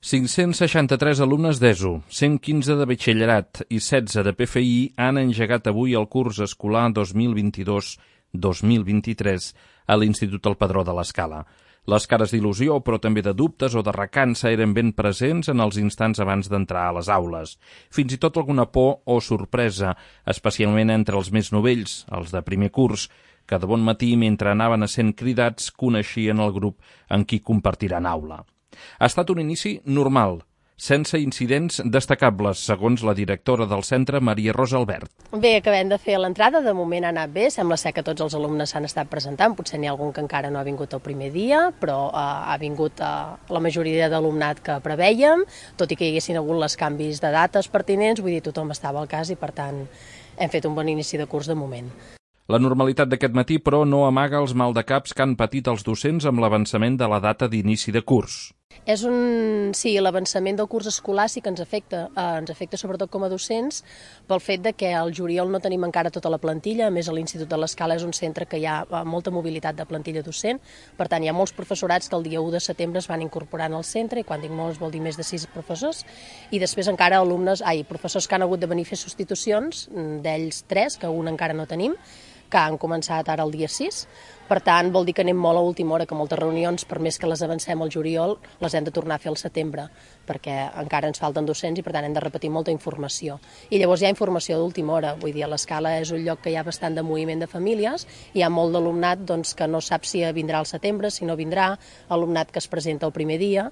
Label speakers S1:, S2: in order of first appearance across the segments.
S1: 563 alumnes d'ESO, 115 de batxillerat i 16 de PFI han engegat avui el curs escolar 2022-2023 a l'Institut El Padró de l'Escala. Les cares d'il·lusió, però també de dubtes o de recança, eren ben presents en els instants abans d'entrar a les aules. Fins i tot alguna por o sorpresa, especialment entre els més novells, els de primer curs, que de bon matí, mentre anaven essent cridats, coneixien el grup en qui compartiran aula. Ha estat un inici normal, sense incidents destacables, segons la directora del centre, Maria Rosa Albert.
S2: Bé, acabem de fer l'entrada, de moment ha anat bé, sembla ser que tots els alumnes s'han estat presentant, potser n'hi ha algun que encara no ha vingut el primer dia, però ha vingut la majoria d'alumnat que prevèiem, tot i que hi haguessin hagut els canvis de dates pertinents, vull dir, tothom estava al cas i, per tant, hem fet un bon inici de curs de moment.
S1: La normalitat d'aquest matí, però, no amaga els maldecaps que han patit els docents amb l'avançament de la data d'inici de curs.
S2: Sí, l'avançament del curs escolar sí que ens afecta sobretot com a docents pel fet de que al juliol no tenim encara tota la plantilla, a més a l'Institut de l'Escala és un centre que hi ha molta mobilitat de plantilla docent, per tant hi ha molts professorats que el dia 1 de setembre es van incorporant al centre, i quan dic molts vol dir més de 6 professors, i després encara professors que han hagut de venir a fer substitucions, d'ells 3, que un encara no tenim, que han començat ara el dia 6. Per tant, vol dir que anem molt a última hora, que moltes reunions, per més que les avancem al juliol, les hem de tornar a fer al setembre, perquè encara ens falten docents i per tant hem de repetir molta informació. I llavors hi ha informació d'última hora, vull dir, a l'Escala és un lloc que hi ha bastant de moviment de famílies, hi ha molt d'alumnat que no sap si vindrà al setembre, si no vindrà, alumnat que es presenta el primer dia,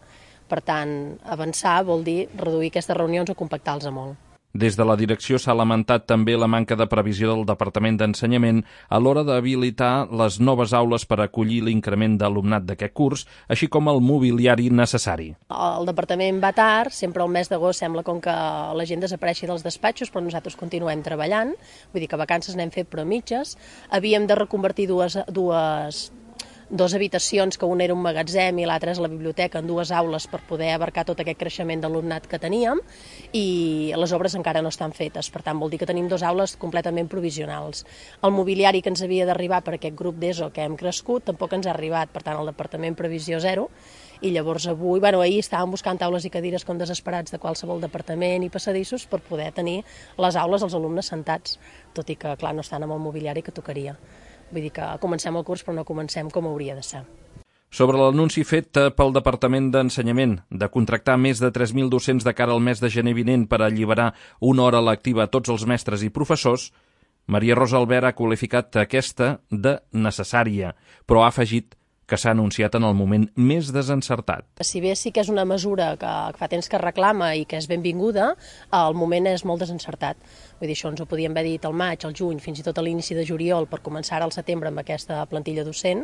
S2: per tant, avançar vol dir reduir aquestes reunions o compactar-los molt.
S1: Des de la direcció s'ha lamentat també la manca de previsió del Departament d'Ensenyament a l'hora d'habilitar les noves aules per acollir l'increment d'alumnat d'aquest curs, així com el mobiliari necessari.
S2: El Departament va tard, sempre al mes d'agost sembla com que la gent desapareixi dels despatxos, però nosaltres continuem treballant, vull dir que vacances n'hem fet però mitges. Havíem de reconvertir dues habitacions, que una era un magatzem i l'altra és la biblioteca, en dues aules per poder abarcar tot aquest creixement d'alumnat que teníem, i les obres encara no estan fetes, per tant vol dir que tenim dues aules completament provisionals. El mobiliari que ens havia d'arribar per aquest grup d'ESO que hem crescut tampoc ens ha arribat, per tant el departament previsió 0, i llavors ahir estàvem buscant taules i cadires com desesperats de qualsevol departament i passadissos per poder tenir les aules els alumnes sentats, tot i que clar no estan amb el mobiliari que tocaria. Vull dir que comencem el curs però no comencem com hauria de ser.
S1: Sobre l'anunci fet pel Departament d'Ensenyament de contractar més de 3.000 docents de cara al mes de gener vinent per alliberar una hora lectiva a tots els mestres i professors, Maria Rosa Albert ha qualificat aquesta de necessària, però ha afegit que s'ha anunciat en el moment més desencertat.
S2: Si bé sí que és una mesura que fa temps que reclama i que és benvinguda, el moment és molt desencertat. Vull dir, això ens ho podíem haver dit al maig, al juny, fins i tot a l'inici de juliol per començar ara al setembre amb aquesta plantilla docent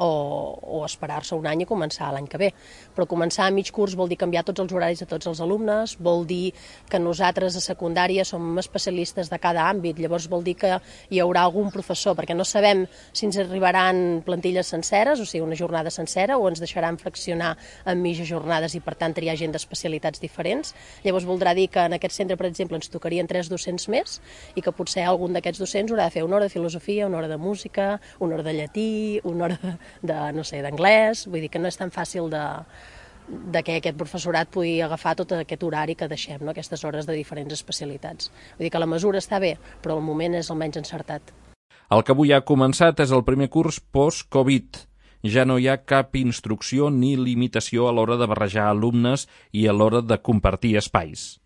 S2: o esperar-se un any i començar l'any que ve. Però començar a mig curs vol dir canviar tots els horaris de tots els alumnes, vol dir que nosaltres a secundària som especialistes de cada àmbit, llavors vol dir que hi haurà algun professor, perquè no sabem si ens arribaran plantilles senceres, o sigui, una jornada sencera, o ens deixaran fraccionar en mitges jornades i per tant triar gent d'especialitats diferents. Llavors voldrà dir que en aquest centre, per exemple, ens tocarien 3 docents més i que potser algun d'aquests docents haurà de fer una hora de filosofia, una hora de música, una hora de llatí, una hora d'anglès. Vull dir que no és tan fàcil de que aquest professorat pugui agafar tot aquest horari que deixem, no? Aquestes hores de diferents especialitats. Vull dir que la mesura està bé, però el moment és almenys encertat.
S1: El que avui ha començat és el primer curs post-Covid. Ja no hi ha cap instrucció ni limitació a l'hora de barrejar alumnes i a l'hora de compartir espais.